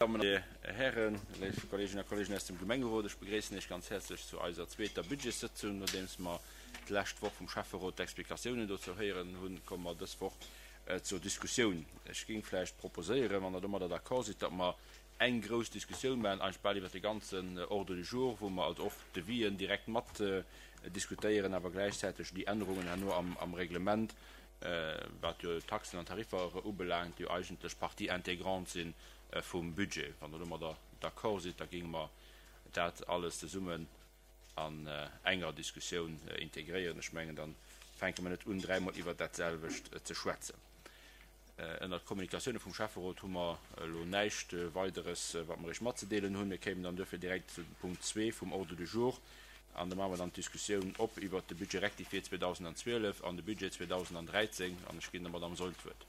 Dammen an Hären, léif Kolleeginnen a Kolleegen aus dem Gemengerot, ech begréissen Iech ganz häerzlech zu eiser zweeter Budgetssëtzung. Nodeems mer d'lescht Woch vum Schäfferot d'Explikatiounen dozou héieren hunn, komme mer dës Woch zur Diskussioun. Ech géing vläicht proposéieren, wann Der domadder d'accord sidd, datt mer eng grouss Diskussioun maachen, eigentlech bal iwwert de ganzen Ordre du jour, wou mer also och d'Devis'en direkt mat diskutéieren, awer gläichzäiteg déi Ännerungen herno am Reglement, wat jo d'Taxen an Tariffer ubelaangt, déi jo eigentlech Partie intégrante si vum Budget. Wann Der domadder d'accord sidd, da géinge mer dat alles zesummen an enger Diskussioun integréieren. Ech mengen, da fänke mer net un, dräimol iwwert dat selwecht ze schwätzen. Ënnert Kommunikatioune vum Schäfferot hu mer elo näischt Weideres, wat mer Iech matzedeelen hunn. Mir kéimen dann duerfir direkt zu Punkt zwee vum Ordre du jour an da maache mer dann d'Diskussioun op iwwert de Budget rectifié 2012 an de Budget 2013 an ech ginn der Madame Saeul d'Wuert.